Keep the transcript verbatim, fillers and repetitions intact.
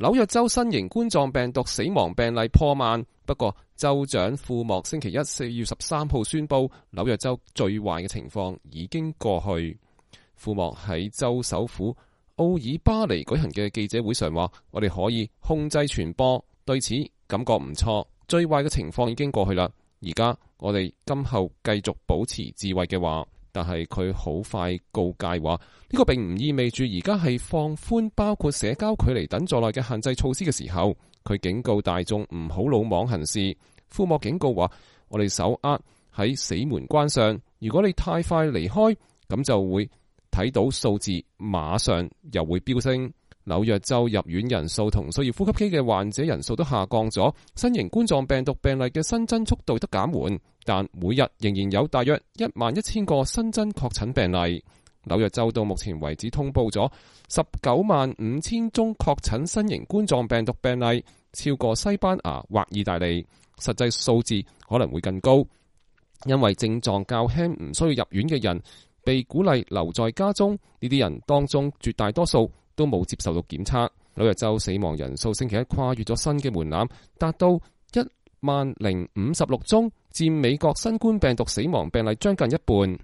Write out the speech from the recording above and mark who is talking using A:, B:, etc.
A: 紐約州新型冠狀病毒死亡病例破萬，不過州長庫莫星期一四月十三號宣布，紐約州最壞嘅情況已經過去。庫莫喺州首府奧爾巴尼舉行嘅記者會上話：我哋可以控制傳播，對此感覺唔錯。最壞嘅情況已經過去啦，而家我哋今後繼續保持智慧嘅話。但係佢好快告誡話，呢個並唔意味住而家係放寬包括社交距離等在內嘅限制措施嘅時候。佢警告大眾唔好魯莽行事。庫莫警告話，我哋手握喺死門關上，如果你太快離開，咁就會睇到數字馬上又會飆升。紐約州入院人數同需要呼吸機嘅患者人數都下降咗，新型冠狀病毒病例嘅新增速度得減緩，但每日仍然有大約一萬一千個新增確診病例。紐約州到目前為止通報咗十九萬五千宗確診新型冠狀病毒病例，超過西班牙或意大利。實際數字可能會更高，因為症狀較輕唔需要入院嘅人被鼓勵留在家中，呢啲人當中絕大多數都冇接受到檢測。紐約州死亡人數星期一跨越咗新嘅門檻，達到一萬零五十六宗，佔美國新冠病毒死亡病例將近一半。